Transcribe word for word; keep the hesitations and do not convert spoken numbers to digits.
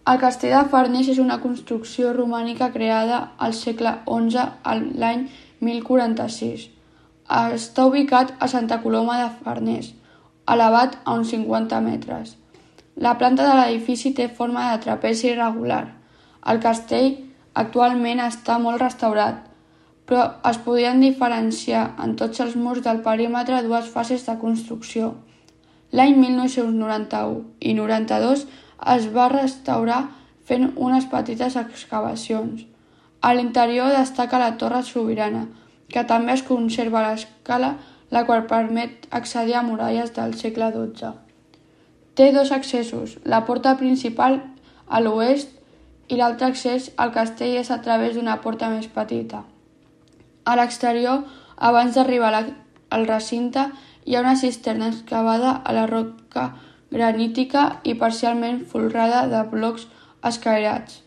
El castell de Farners és una construcció romànica creada al segle onze, l'any mil quaranta-sis. Està ubicat a Santa Coloma de Farners, elevat a uns cinquanta metres. La planta de l'edifici té forma de trapezi irregular. El castell actualment està molt restaurat, però es podien diferenciar en tots els murs del perímetre dues fases de construcció. L'any mil nou-cents noranta-u i noranta-dos es va restaurar fent unes petites excavacions. A l'interior destaca la Torre Sobirana, que també es conserva a l'escala, la qual permet accedir a muralles del segle dotze. Té dos accessos, la porta principal a l'oest i l'altre accés al castell és a través d'una porta més petita. A l'exterior, abans d'arribar al recinte, hi ha una cisterna excavada a la roca granítica i parcialment folrada de blocs escairats.